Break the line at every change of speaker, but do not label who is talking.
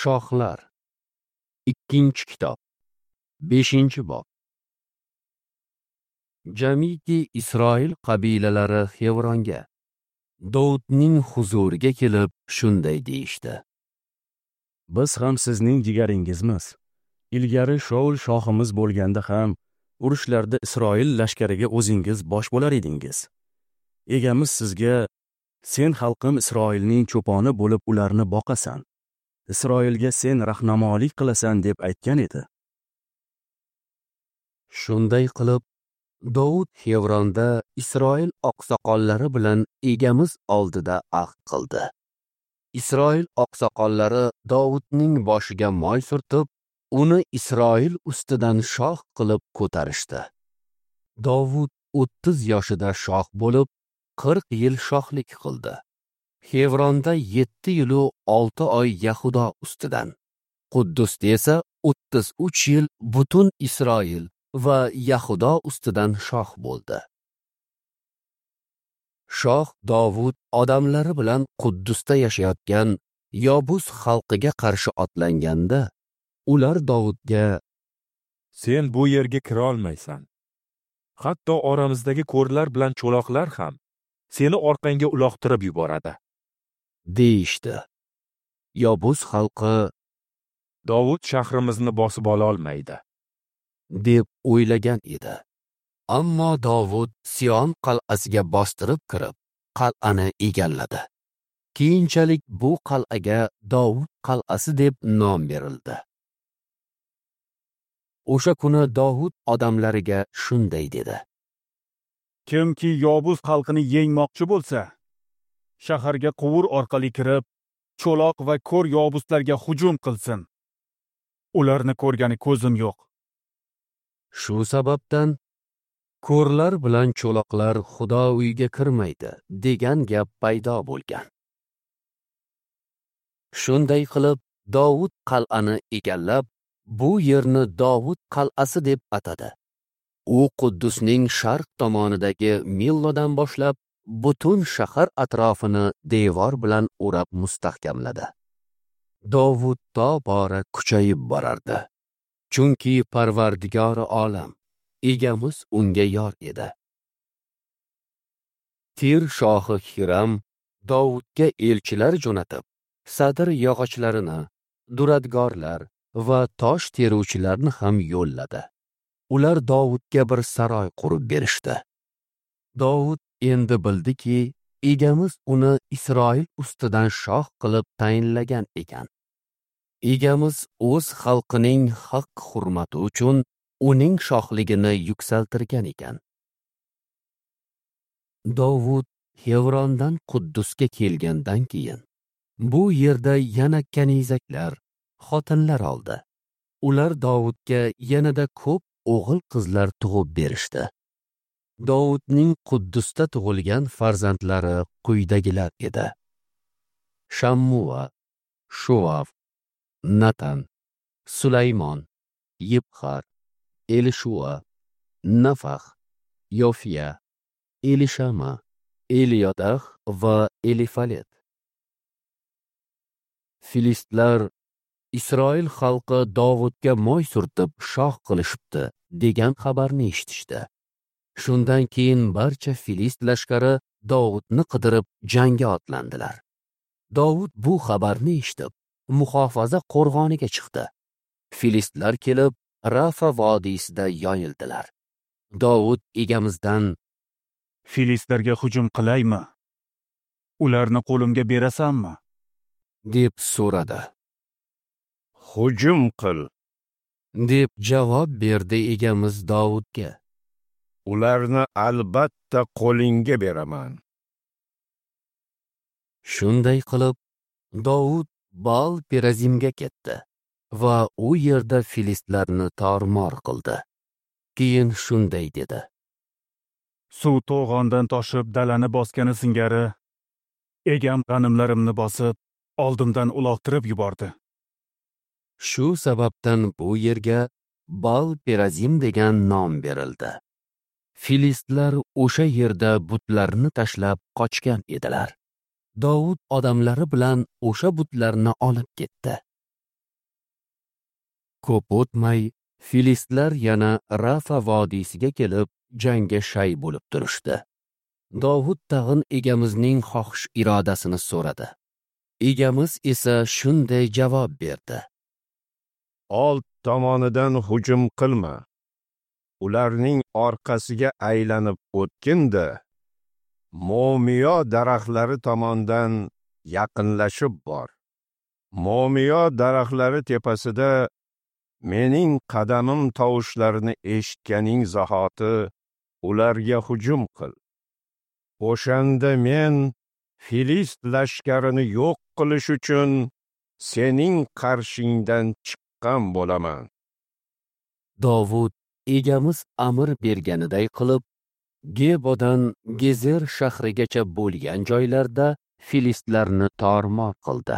Shohlar. 2-kitob. 5-bob. Jamiki Isroil qabilalari Xevronga, Dovudning huzuriga kelib shunday deyishdi:
Biz ham sizning jigaringizmiz. Ilgari Shaul shohimiz bo'lganda ham urushlarda Isroil lashkariga o'zingiz bosh bo'lar edingiz. Egamiz sizga: sen xalqim Isroilning cho'poni bo'lib ularni boqasan. Isroilga sen rahnamolik qilasan deb aytgan edi.
Shunday qilib, Dovud Xevronda Isroil oqsoqollari bilan egamiz oldida ahd qildi. Isroil oqsoqollari Dovudning boshiga moy surtib, uni Isroil ustidan shoh qilib ko'tarishdi. Dovud 30 yoshida shoh bo'lib, 40 yil shohlik qildi. Xevronda 7 yil 6 oy Yahudo ustidan, Quddusda esa 33 yil butun Isroil va Yahudo ustidan shoh bo'ldi. Shoh Dovud odamlari bilan Quddusda yashayotgan Yobus xalqiga qarshi otlanganda, ular Dovudga:
Sen bu yerga kira olmaysan. Hatto oramizdagi ko'rlar bilan cho'loqlar ham seni orqangga uloqtirib yuboradi,
deyishdi. Yobus xalqi:
Dovud shahrimizni bosib ola olmaydi,
deb o'ylagan edi. Ammo Dovud Sion qal'asiga bostirib kirib, qal'ani egalladi. Keyinchalik bu qal'aga Dovud qal'asi deb nom berildi. O'sha kuni Dovud odamlariga shunday dedi:
Kimki Yobus xalqini yengmoqchi bo'lsa, shaharga quvur orqali kirib, cho'loq va ko'r yobuslarga hujum qilsin. Ularni ko'rgani ko'zim yo'q.
Shu sababdan ko'rlar bilan cho'loqlar Xudo uyiga kirmaydi degan gap paydo bo'lgan. Shunday qilib Dovud qal'ani egallab, bu yerni Dovud qal'asi deb atadi. U Quddusning sharq tomonidagi Millodan boshlab butun shahar atrofini devor bilan o'rab mustahkamladi. Dovud tobora kuchayib borardi, chunki Parvardigori olam egamiz unga yor edi. Tir shohi Hiram Dovudga elchilar jo'natib, sadir yog'ochlarini, duradgorlar va tosh teruvchilarni ham yo'lladi. Ular Dovudga bir saroy qurib berishdi. Dovud endi bildiki, egamiz uni Isroil ustidan shoh qilib tayinlagan ekan. Egamiz o'z xalqining haq hurmati uchun uning shohligini yuksaltirgan ekan. Dovud Xevrondan Quddusga kelgandan keyin bu yerda yana kanizaklar, xotinlar oldi. Ular Dovudga yanada ko'p o'g'il qizlar tug'ib berishdi. Dovudning Quddusda tug'ilgan farzandlari quyidagilar edi: Shammua, Shuvav, Natan, Sulaymon, Yibxar, Elishua, Nafax, Yofiya, Elishama, Eliyodah va Elifalet. Filistlar Isroil xalqi Dovudga moy surtib shoh qilishibdi degan xabarni eshitishdi. Shundan keyin barcha filist lashkari Dovudni qidirib jangga otlandilar. Dovud bu xabarni eshitib, muhofaza qo'rg'oniga chiqdi. Filistlar kelib Rafa vodiysida yoyildilar. Dovud egamizdan:
Filistlarga hujum qilaymi? Ularni qo'limga berasanmi?
deb so'radi.
Hujum qil,
deb javob berdi egamiz Dovudga.
Ularni albatta qo'lingga beraman.
Shunday qilib Dovud Baal Perazimga ketdi va u yerda filistlarni tormor qildi. Keyin shunday dedi:
Suv to'g'ondan toshib dalani bosgani singari egam g'animlarimni bosib, oldimdan uloqtirib yubordi.
Shu sababdan bu yerga Baal Perazim degan nom berildi. Filistlar o'sha yerda butlarni tashlab qochgan edilar. Dovud odamlari bilan o'sha butlarni olib ketdi. Ko'p o'tmay, filistlar yana Rafa vodiysiga kelib, jangga shay bo'lib turishdi. Dovud tag'in Egamizning xohish irodasini so'radi. Egamiz esa shunday javob berdi:
Old tomonidan hujum qilma. Ularning orqasiga aylanib o'tgin-da, mo'miyo daraxtlari tomondan yaqinlashib bor. Mo'miyo daraxtlari tepasida mening qadamim tovushlarini eshitganing zahoti ularga hujum qil. O'shanda men Filist lashkarini yo'q qilish uchun sening qarshingdan chiqqan bo'laman.
Dovud Egamiz amr berganiday qilib, Gebodan Gezer shahrigacha bo'lgan joylarda filistlarni tormor qildi.